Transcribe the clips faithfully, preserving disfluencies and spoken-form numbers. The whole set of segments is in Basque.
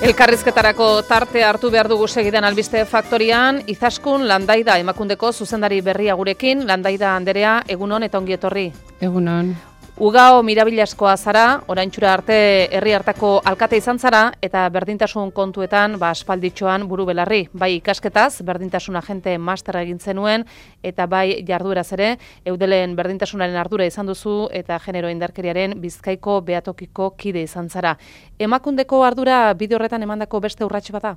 Elkarrizketarako tarte hartu behar dugu segidan albiste faktorian, Izaskun Landaida emakundeko zuzendari berria gurekin. Landaida Anderea, egunon eta ongi etorri. Egunon. Ugao mirabilaskoa zara, oraintxura arte herri hartako alkate izan zara, eta berdintasun kontuetan ba aspalditxoan buru belarri. Bai ikasketaz, berdintasun agente master egin zenuen, eta bai jardueraz ere, Eudelen berdintasunaren ardura izan duzu, eta genero indarkeriaren Bizkaiko behatokiko kide izan zara. Emakundeko ardura bide horretan emandako beste urrats bada?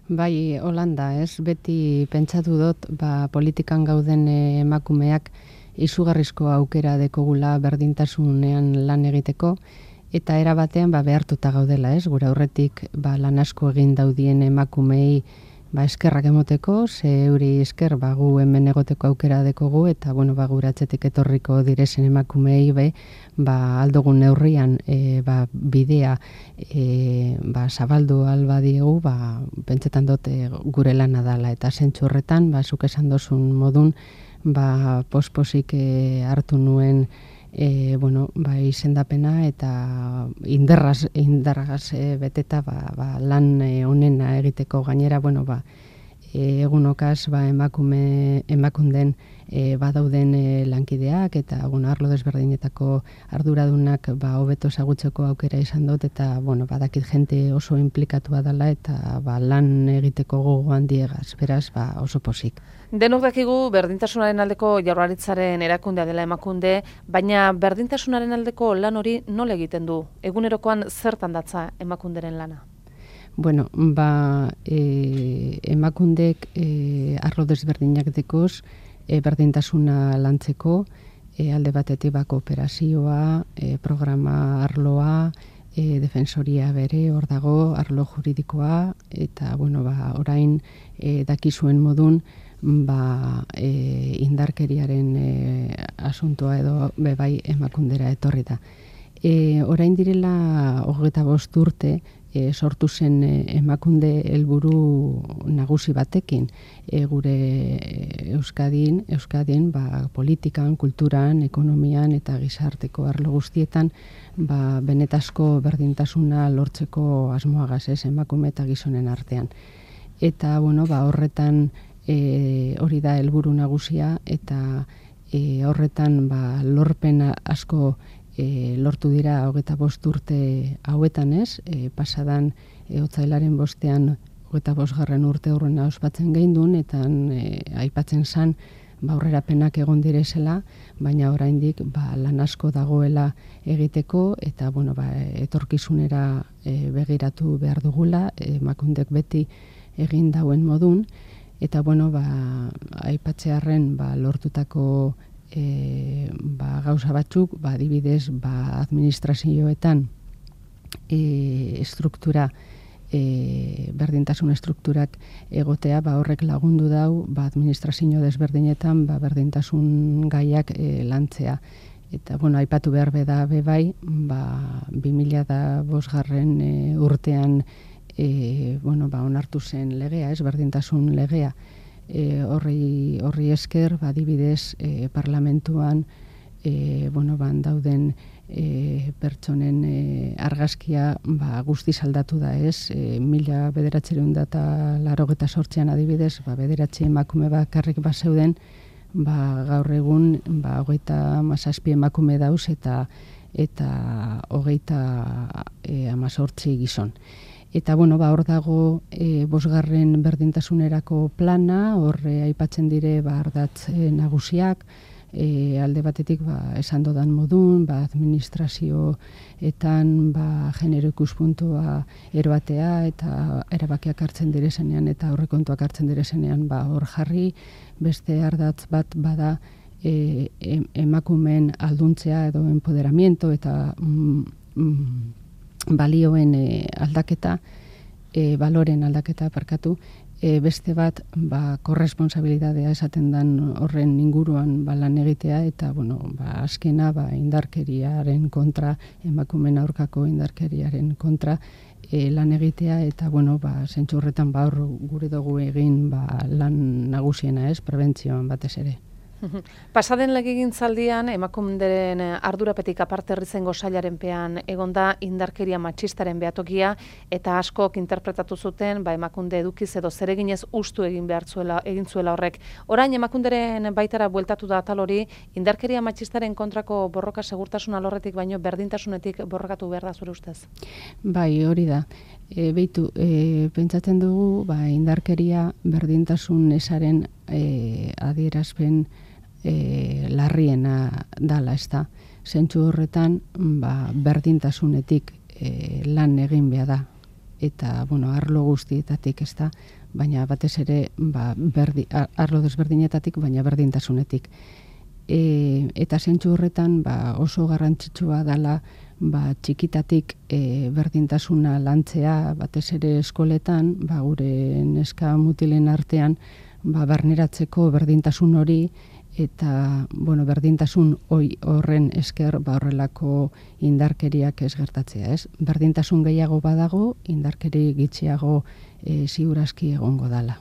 Bai, Holanda, ez? Beti pentsatu dut, ba, politikan gauden emakumeak izugarrizko aukera dekogula berdintasunean lan egiteko, eta era batean ba, behartuta gaudela, ez? Gure aurretik ba, lan asko egin daudien emakumei ba, eskerrak emoteko, ze euri esker ba, gu hemen egoteko aukera dekogu, eta bueno, ba, gure atzetik etorriko direzen emakumei be, ba, aldogun neurrian e, ba, bidea e, ba, zabaldu alba diegu, ba, pentsetan dut e, gure lana dala, eta zentzu horretan, ba, zuk esan dozun modun, ba, posposik e, hartu nuen e, bueno, ba, izendapena eta indarraz, indarraz e, beteta ba, ba, lan e, onena egiteko gainera, bueno, ba, e, egunokaz ba, emakume, emakunden e, badauden e, lankideak eta bueno, arlo desberdinetako arduradunak ba, hobeto ezagutzeko aukera izan dut eta bueno, badakit jente oso inplikatua dela eta ba, lan egiteko gogo handiegaz, beraz ba, oso pozik. Denok dakigu berdintasunaren aldeko Jaurlaritzaren erakundea dela emakunde, baina berdintasunaren aldeko lan hori nola egiten du? Egunerokoan zertan datza emakunderen lana? Bueno, ba, e, emakundek e, arlo desberdinak dekoz, e, berdintasuna lantzeko, e, alde batetik ba, kooperazioa, e, programa arloa, e, defensoria bere hor dago, arlo juridikoa, eta bueno, ba, orain e, dakizuen modun, ba, e, indarkeriaren e, asuntoa edo bebai emakundera etorri da. E, orain direla hogeita bost urte e, sortu zen e, emakunde helburu nagusi batekin e, gure Euskadin, Euskadin ba, politikan, kulturan, ekonomian eta gizarteko arlo guztietan ba, benetazko berdintasuna lortzeko asmoagaz, ez, emakume eta gizonen artean. Eta bueno, ba, horretan E, hori da helburu nagusia eta e, horretan ba, lorpen asko e, lortu dira hogeita bost urte hauetan, ez? E, pasadan e, otsailaren bostean hogeita bosgarren urte horrena ospatzen geindun eta e, aipatzen zan ba, aurrerapenak egon direzela, baina oraindik ba, lan asko dagoela egiteko eta bueno, ba, etorkizunera e, begiratu behar dugula, emakundek beti egin dauen modun. Eta, bueno, ba, aipatzearren ba, lortutako e, ba, gauza batzuk, ba, adibidez, ba, administrazioetan e, struktura, e, berdintasun strukturak egotea, ba, horrek lagundu dau, ba, administrazio desberdinetan, ba, berdintasun gaiak e, lantzea. Eta, bueno, aipatu behar beda bebai, ba, bi mila bosgarren e, urtean, E, bueno, ba, onartu zen legea, ez, berdintasun legea. E, horri, horri esker, ba, adibidez, e, parlamentuan, e, bueno, ban dauden e, pertsonen e, argazkia ba, guztiz aldatu da, ez, e, mila bederatziehun eta laurogeita zortzian adibidez, ba, bederatzi emakume bakarrik bazeuden, ba, gaur egun, ba, hogeita hamazazpi emakume dauz eta eta hogeita e, hamazortzi gizon. Eta, bueno, ba, hor dago e, bosgarren berdintasunerako plana, horre aipatzen dire ba, ardatz e, nagusiak, e, alde batetik ba, esan dodan modun, ba, administrazioetan ba, genero ikuspuntua eroatea eta erabakiak hartzen direzenean eta aurrekontuak hartzen direzenean ba, hor jarri, beste ardatz bat bada e, em, emakumeen alduntzea edo empoderamiento eta mm, mm, balioen e, aldaketa, e, baloren aldaketa parkatu, e, beste bat ba, korresponsabilidadea esaten dan horren inguruan ba, lan egitea eta bueno, ba, azkena ba, indarkeriaren kontra, emakumeen aurkako indarkeriaren kontra e, lan egitea eta bueno, ba, zentzu horretan ba, hor gure dugu egin ba, lan nagusiena, ez, prebentzioan batez ere. Pasaden legegintzaldian emakunderen ardurapetik aparte herrizengo sailaren pean egonda indarkeria matxistaren behatokia eta askok interpretatu zuten ba emakunde edukiz edo zereginez ustu egin behar zuela, egin zuela horrek. Orain emakunderen baitara bueltatu da atal hori, indarkeria matxistaren kontrako borroka segurtasun alorretik baino berdintasunetik borrokatu behar da zure ustez? Bai, hori da. E, beitu, e, pentsatzen dugu ba, indarkeria berdintasun esaren e, adierazpen E, larriena dala, ez da. Zentsu horretan, ba, berdintasunetik e, lan egin behar da. Eta, bueno, arlo guztietatik, ez da, baina batez ere, ba, berdi, arlo desberdinetatik, baina berdintasunetik. E, eta zentsu horretan, ba, oso garrantzitsua dala, ba, txikitatik e, berdintasuna lantzea, batez ere eskoletan, ba, gure neska mutilen artean, ba, barneratzeko berdintasun hori, eta bueno, berdintasun hoi horren esker ba horrelako indarkeriak ez gertatzea, ez? Berdintasun gehiago badago, indarkeri gitxiago e, ziurazki egongo dala.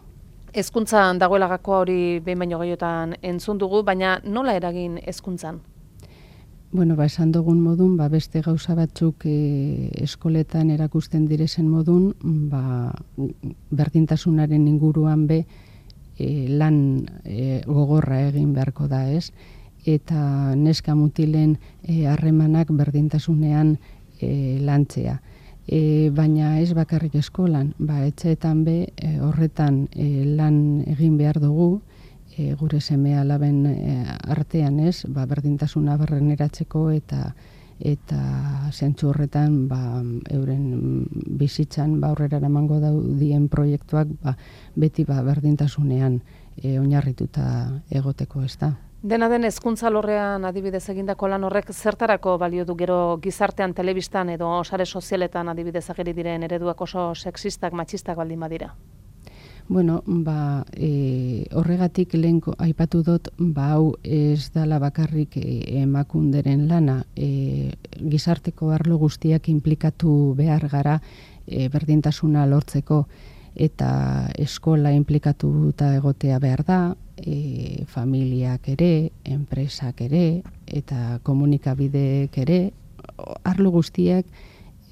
Hezkuntzan dagoela gakoa hori behin baino gehiotan entzun dugu, baina nola eragin hezkuntzan? Bueno, ba, esan dugun modun, ba, beste gauza batzuk e, eskoletan erakusten direzen modun, ba, berdintasunaren inguruan be, E, lan e, gogorra egin beharko da, ez? Eta neska mutilen harremanak e, berdintasunean e, lantzea. E, baina ez bakarrik eskolan, ba, etxeetan be e, horretan e, lan egin behar dugu, e, gure seme alaben e, artean, ez? Ba, berdintasuna barreneratzeko eta eta zentzu horretan ba, euren bizitzan ba, aurrera emango daudien proiektuak ba, beti ba, berdintasunean e, oinarrituta egoteko, ez da. Dena den hezkuntza alorrean adibidez egindako lan horrek zertarako balio du gero gizartean, telebistan edo sare sozialetan adibidez ageri diren ereduak oso sexistak, matxistak baldin badira? Bueno, ba, e, horregatik lehenko aipatu dut, ba, hau ez dala bakarrik e, emakunderen lana, e, gizarteko arlo guztiak inplikatu behar gara e, berdintasuna lortzeko, eta eskola inplikatuta egotea behar da, e, familiak ere, enpresak ere, eta komunikabideek ere, arlo guztiak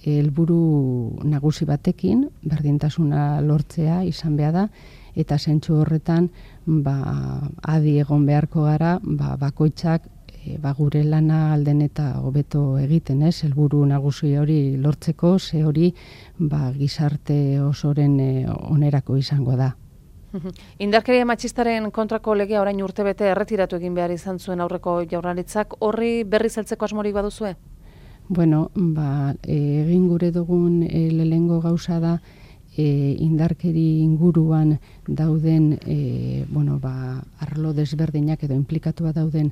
helburu nagusi batekin, berdintasuna lortzea izan behar da, eta zentsu horretan ba, adi egon beharko gara, ba, bakoitzak e, ba, gure lana alden eta hobeto egiten, ez? Helburu nagusi hori lortzeko, ze hori ba, gizarte osoren e, onerako izango da. Indarkeria matxistaren kontrako legea orain urtebete erretiratu egin behar izan zuen aurreko jaurlaritzak, horri berri zeltzeko asmorik baduzue? Bueno, ba, egin gure dugun e, lehengo gauza da e, indarkeri inguruan dauden e, bueno, ba, arlo desberdinak edo inplikatua dauden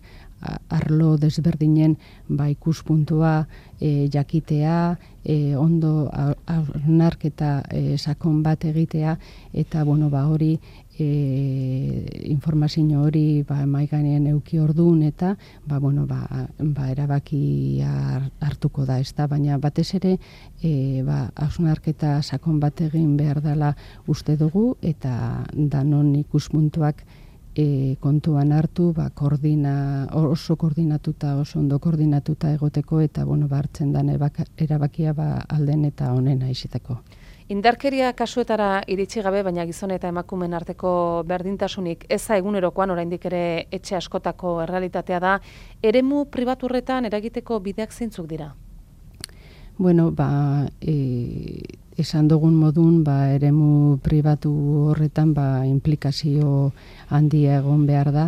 arlo desberdinen ba, ikuspuntua e, jakitea, e, ondo hausnarketa e, sakon bat egitea eta bueno, ba, hori E, informazio hori ba, maiganean euki orduan eta ba, bueno, ba, ba, erabakia hartuko da, ez da, baina batez ere e, ba, hausnarketa sakon bat egin behar dela uste dugu eta danon ikuspuntuak e, kontuan hartu ba, koordina, oso koordinatuta, oso ondo koordinatuta egoteko eta bueno, ba, hartzen den erabakia ba, alden eta onena izateko. Indarkeria kasuetara iritsi gabe, baina gizon eta emakumeen arteko berdintasunik eza egunerokoan oraindik ere etxe askotako errealitatea da, eremu pribaturretan eragiteko bideak zeintzuk dira? Bueno, ba, e, esan dugun modun, ba, eremu pribatu horretan ba, implikazio handia egon behar da,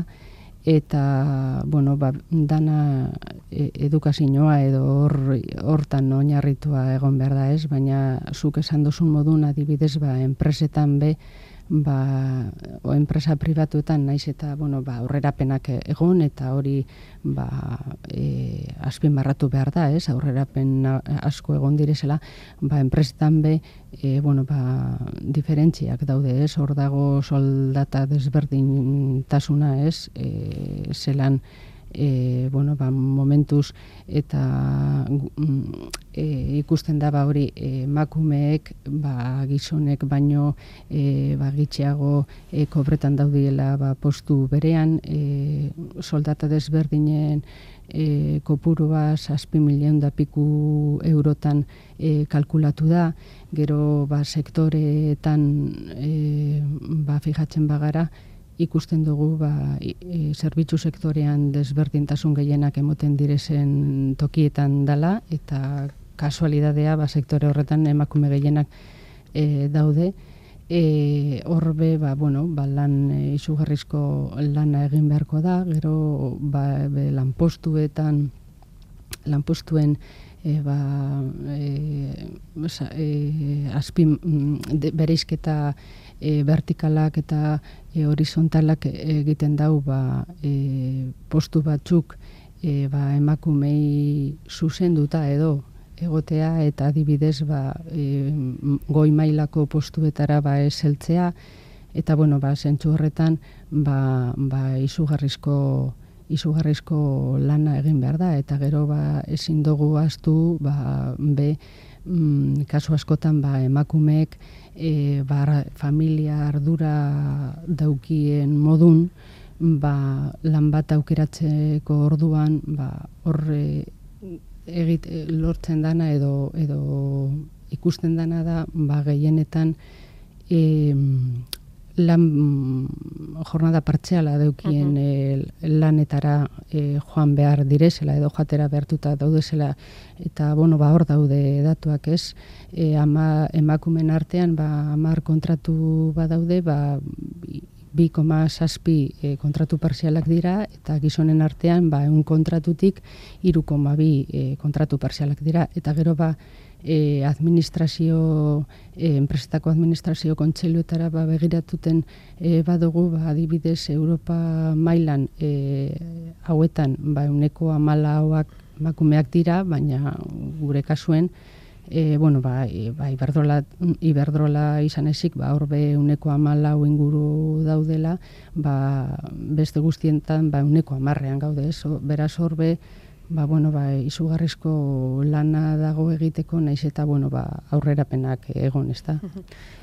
eta bueno, ba, dana edukazioa edo hor, hortan oinarritua egon behar da, ez, baina zuk esan duzun modun adibidez ba, enpresetan be ba, o enpresa pribatuetan naiz eta bueno, ba, aurrerapenak egon eta hori ba, e, azpimarratu behar da, ez, aurrerapen asko egon direzela, ba, enpresetan be e, bueno, ba, diferentziak daude, ez, hor dago soldata desberdintasuna, ez, e, zelan e, bueno, ba, momentuz eta e, ikusten da ba hori emakumeek ba, gizonek baino e, ba, gitxiago e, kobretan daudiela ba, postu berean, e, soldata desberdinen E, kopurua zazpi milion da piku eurotan e, kalkulatu da, gero ba, sektoreetan e, ba, fijatzen bagara, ikusten dugu ba, e, zerbitzu sektorean desberdintasun gehienak emoten direzen tokietan dala, eta kasualidadea ba, sektore horretan emakume gehienak e, daude. E, horbe, ba, bueno, ba, lan e, izugarrizko lana egin beharko da, gero ba, be, lanpostuetan, lanpostuen e, ba, e, e, azpi de, bereizketa e, vertikalak eta e, horizontalak egiten dau ba, e, postu batzuk e, ba, emakumei zuzenduta edo egotea eta adibidez ba, e, goi mailako postuetara ba, ez heltzea, eta bueno, ba, zentzu horretan ba, ba, izugarrizko, izugarrizko lana egin behar da, eta gero ba, ezin dugu ahaztu ba, be, mm, kasu askotan ba, emakumeek e, ba, familia ardura daukien modun ba, lan bat aukeratzeko orduan ba, horre egit lortzen dana edo edo ikusten dana da ba gehienetan e, lan jornada partziala daukien uh-huh. e, lanetara e, joan behar direzela edo jatera behartuta daudezela, eta bueno ba hor daude datuak, ez, e, ama emakumen artean ba hamar kontratu badaude ba bi koma zazpi e, kontratu parzialak dira, eta gizonen artean ba ehun kontratutik hiru koma bi e, kontratu parzialak dira, eta gero ba e, administrazio e, enpresetako administrazio kontseiluetara ba begiratuten e, badugu ba adibidez Europa mailan e, hauetan ba ehuneko hamalauak emakumeak dira, baina gure kasuen E, bueno, ba, e, ba, Iberdrola, Iberdrola izan ezik, ba, horbe uneko hamalau inguru daudela, ba, beste guztientan ba, uneko hamarrean gaude, ez? Beraz horbe, ba, bueno, ba, izugarrizko lana dago egiteko, naiz eta bueno, ba, aurrerapenak egon, ez da.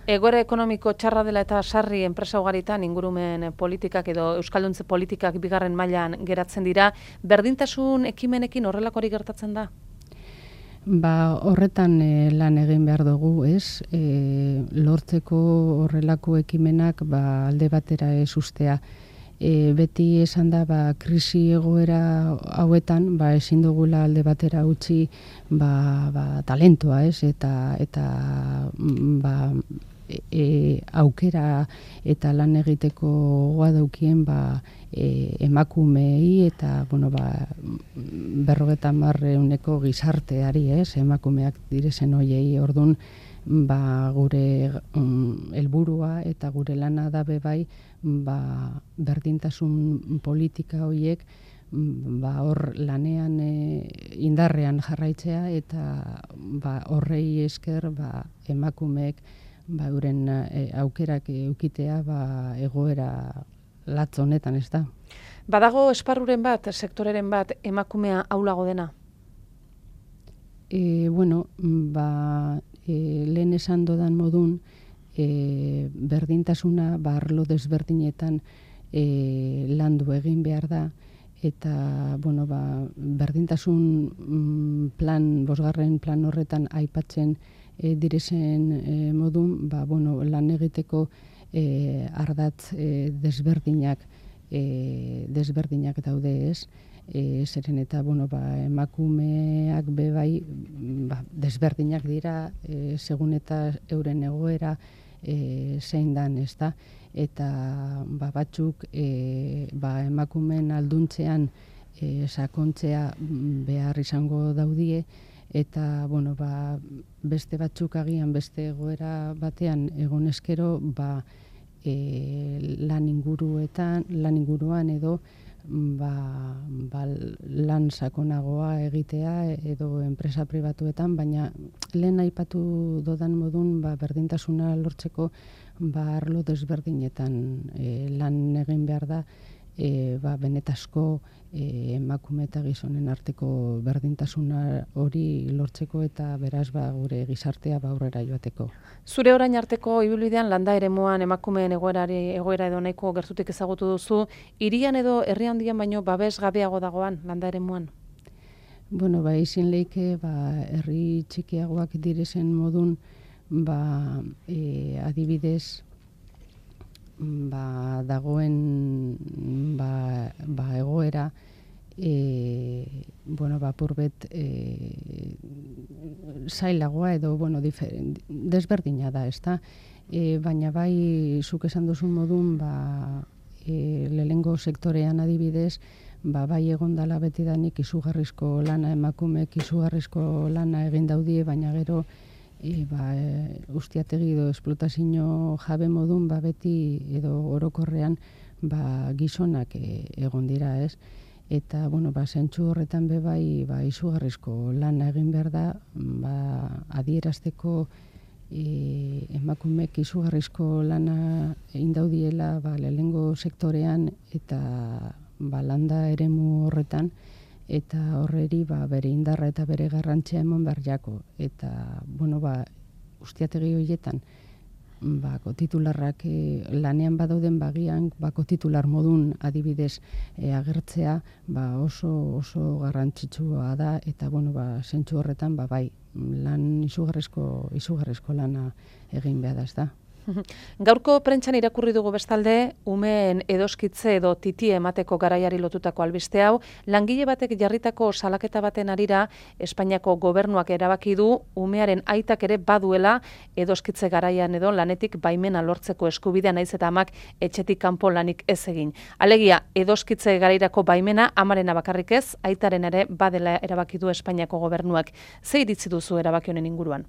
Egoera ekonomiko txarra dela eta sarri enpresa ugaritan ingurumen politikak edo euskalduntze politikak bigarren mailan geratzen dira, berdintasun ekimenekin horrelakori gertatzen da? Ba, horretan e, lan egin behar dugu, ez? E, lortzeko horrelako ekimenak ba, alde batera ez ustea. E, beti esan da, ba, krisi egoera hauetan, ba, ezin dugula alde batera utzi ba, ba, talentoa, ez? Eta, eta ba, e, aukera eta lan egiteko goa daukien ba, e, emakumei eta bueno, ba, berrogeta marreuneko gizarteari, ez? Emakumeak direzen hoiei, ordun ba, gure um, helburua eta gure lana da bai ba, berdintasun politika hoiek ba, hor lanean e, indarrean jarraitzea eta ba, horrei esker ba, emakumeek ba, euren e, aukerak eukitea ba, egoera latz honetan, ez da. Badago esparruren bat, sektoreren bat, emakumea aulago dena? E, bueno, ba, e, lehen esan dodan modun, e, berdintasuna ba, arlo desberdinetan e, landu egin behar da, eta bueno, ba, berdintasun plan, bosgarren plan horretan aipatzen e, direzen e, modun, ba, bueno, lan egiteko e, ardatz e, desberdinak e, desberdinak daude, ez? E, zeren eta bueno, ba, emakumeak be bai ba, desberdinak dira e, segun eta euren egoera e, zein dan, ez da? Eta ba, batzuk e, ba, emakumen alduntzean e, sakontzea behar izango daudie, eta bueno, ba, beste batzuk agian beste egoera batean egon eskero ba, e, lan inguruetan, lan inguruan edo ba, ba, lan sakonagoa egitea edo enpresa pribatuetan, baina lehen aipatu dodan modun ba, berdintasuna lortzeko ba, arlo desberdinetan e, lan egin behar da, e, ba, benetazko e, emakume eta gizonen arteko berdintasuna hori lortzeko eta beraz ba, gure gizartea ba, aurrera joateko. Zure orain arteko ibilbidean landa eremuan emakumeen egoerari egoera edo nahiko gertutik ezagutu duzu, hirian edo herri handian baino babes gabeago dagoan landa eremuan? Bueno, ba, izin leike, ba, herri txikiagoak direzen modun, ba, e, adibidez, ba, dagoen ba, ba, egoera, e, bueno, ba, purbet e, zailagoa edo, bueno, diferent, desberdina da, ezta? E, baina bai, zuk esan duzun modun, ba, e, lehengo sektorean adibidez, ba, bai egon dala betidanik izugarrizko lana emakumeek izugarrizko lana egin daudie, baina gero e, ba, e, ustiategi edo esplotazio jabe modun ba, beti edo orokorrean ba, gizonak e, egon dira, ez? Eta, bueno, ba, zentzu horretan be bai ba, izugarrizko lana egin behar da, ba, adierazteko e, emakumeek izugarrizko lana egin daudiela ba, lehengo sektorean eta ba, landa eremu horretan, eta horreri ba, bere indarra eta bere garrantzia eman behar jako. Eta, bueno, ba, ustiategi horietan, bako titularrak e, lanean badauden bagian, bako titular modun adibidez e, agertzea ba, oso oso garrantzitsua da, eta, bueno, ba, zentzu horretan, ba, bai, lan izugarrizko, izugarrizko lana egin behar da, ez da. Gaurko prentsan irakurri dugu bestalde, umeen edoskitze edo titi emateko garaiari lotutako albiste hau, langile batek jarritako salaketa baten arira, Espainiako gobernuak erabaki du umearen aitak ere baduela edoskitze garaian edo lanetik baimena lortzeko eskubidea naiz eta amak etxetik kanpo lanik ez egin. Alegia, edoskitze garairako baimena amarena bakarrik ez, aitaren ere badela erabaki du Espainiako gobernuak. Ze iritzi duzu erabaki honen inguruan?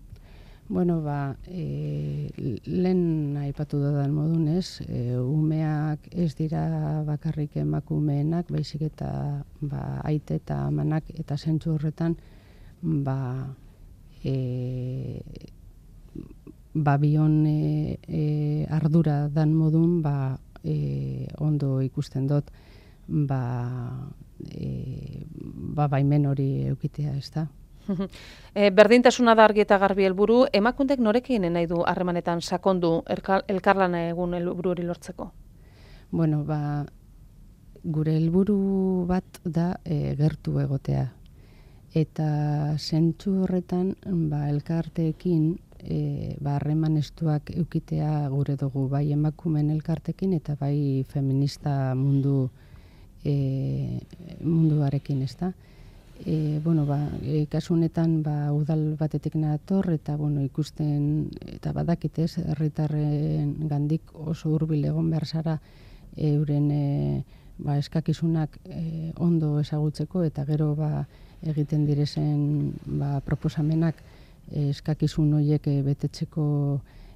Bueno, ba, e, lehen aipatu dudan modunez, e, umeak ez dira bakarrik emakumeenak, baizik eta ba, aite eta amanak eta zentzu horretan, ba, e, ba bion e, e, ardura dan modun, ba, e, ondo ikusten dut, ba, e, ba baimen hori eukitea, ez da? E, berdintasuna da argi eta garbi helburu, emakundek norekin nahi du harremanetan sakondu elkarlana egun helburu hori lortzeko? Bueno, ba, gure helburu bat da e, gertu egotea. Eta zentzu horretan, ba, elkarteekin e, ba, harreman estuak eukitea gure dugu, bai emakumen elkartekin eta bai feminista mundu e, munduarekin, ez da? E, bueno, ba, e, kasu honetan ba, udal batetik nator eta bueno, ikusten eta badakitez herritarren gandik oso hurbil egon behar zara euren e, ba, eskakizunak e, ondo ezagutzeko eta gero ba, egiten direzen ba, proposamenak e, eskakizun horiek e, betetzeko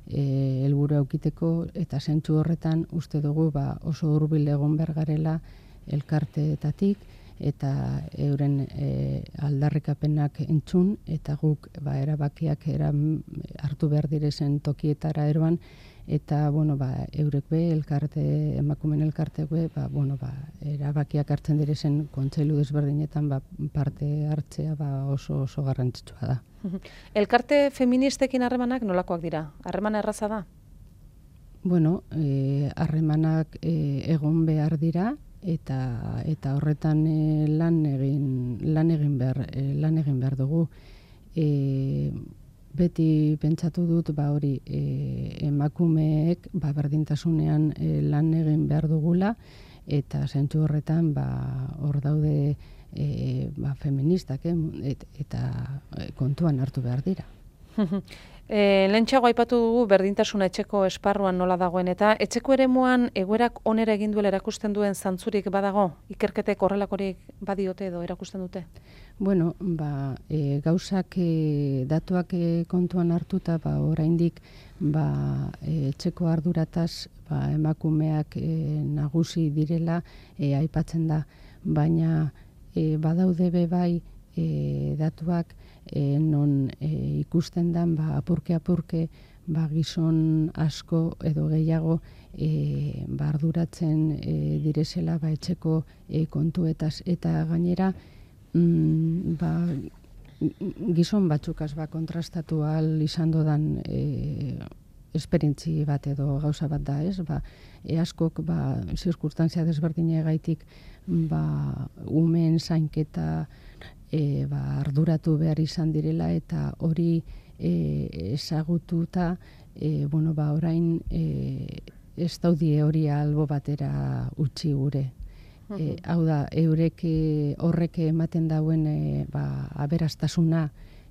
e, helburu aukiteko eta zentzu horretan uste dugu ba, oso hurbil egon behar garela elkarteetatik eta euren e, aldarrikapenak entzun, eta guk ba, erabakiak eram, hartu behar direzen tokietara eroan, eta bueno, ba, eurek be, elkarte, emakumen elkartek be, ba, bueno, ba, erabakiak hartzen direzen kontseilu desberdinetan ba, parte hartzea ba, oso oso garrantzitsua da. Elkarte feministekin harremanak nolakoak dira? Harremana erraza da? Bueno, harremanak e, egon behar dira, eta eta horretan e, lan egin lan egin behar e, lan egin behar dugu. E, beti pentsatu dut ba hori e, emakumeek ba berdintasunean e, lan egin behar dugula eta zentzu horretan ba hor daude e, ba feministak eh, et, eta kontuan hartu behar dira. E, Lehentxeago aipatu dugu berdintasuna etxeko esparruan nola dagoen eta etxeko eremuan egoerak onera egin duela erakusten duen zantzurik badago? Ikerketek horrelakorik badiote edo erakusten dute? Bueno, ba, e, gauzak e, datuak e, kontuan hartuta ba, oraindik ba, e, etxeko ardurataz ba, emakumeak e, nagusi direla e, aipatzen da, baina e, badaude be bai e, datuak E, non e, ikusten den ba, apurke apurke ba, gizon asko edo gehiago e, ba, arduratzen e, direzela ba, etxeko e, kontuetaz eta gainera mm, ba, gizon batzukaz ba, kontrastatu ahal izan dodan e, esperientzi bat edo gauza bat da, ez? Ba, e askok ba, zirkustantzia desberdine gaitik ba, umen zainketa e, ba, arduratu behar izan direla eta hori e, ezagututa e, bueno, ba, orain e, ez daudie hori albo batera utzi gure. E, hau da, eurek horrek ematen dauen e, ba, aberastasuna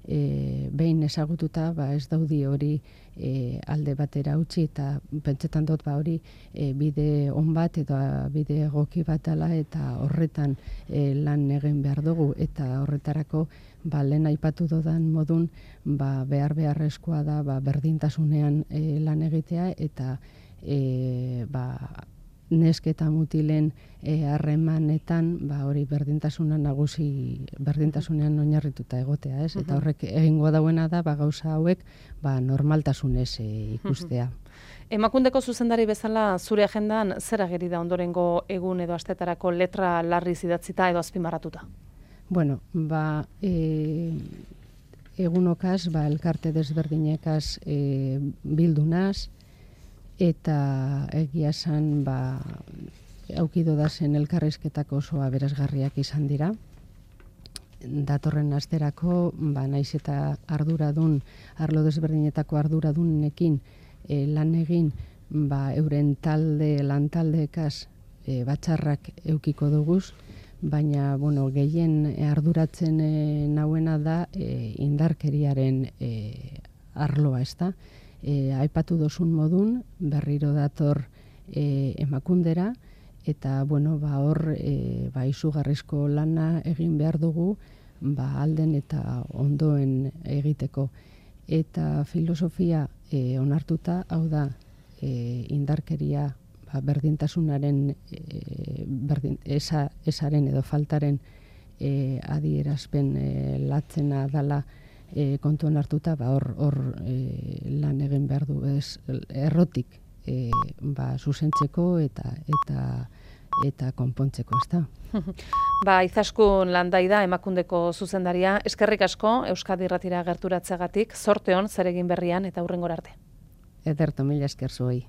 e, behin ezagututa ba, ez daudi hori e, alde batera utzi eta pentsetan dut ba, hori e, bide on bat edo bide egoki bat dela eta horretan e, lan egin behar dugu eta horretarako ba, lehen aipatu dodan modun ba, behar beharrezkoa da ba, berdintasunean e, lan egitea eta e, ba, neske eta mutilen harremanetan ba, hori berdintasuna nagusi berdintasunean oinarrituta egotea, ez? Eta horrek egingo dauena da ba, gauza hauek ba, normaltasunez e, ikustea. Emakundeko zuzendari bezala zure agendan zer ageri da ondorengo egun edo astetarako letra larriz idatzita edo azpimarratuta? Bueno, ba, e, egunokaz, ba, elkarte desberdinekaz e, bildunaz, eta egia esan ba, aukido da zen elkarrizketak oso aberasgarriak izan dira. Datorren asterako, ba, naiz eta arduradun, arlo desberdinetako arduradunekin e, lan egin, ba, euren talde, lantaldeekaz e, batxarrak eukiko duguz, baina bueno, gehien arduratzen e, nauena da e, indarkeriaren e, arloa, ez da? E, aipatu dozun modun, berriro dator e, emakundera, eta bueno, ba, hor e, ba, izugarrizko lana egin behar dugu ba, alden eta ondoen egiteko. Eta filosofia e, onartuta, hau da, e, indarkeria ba, berdintasunaren e, berdin, esa, esaren edo faltaren e, adierazpen e, latzena dala E, kontuan hartuta, ba, hor, hor e, lan egin behar du, ez, errotik e, ba, zuzentzeko eta eta eta konpontzeko, ez da. Ba, Izaskun Landaida, emakundeko zuzendaria, eskerrik asko, Euskadi Irratira gerturatzeagatik, zorte on, zeregin berrian eta hurrengora arte. Ederto, mila esker zuei.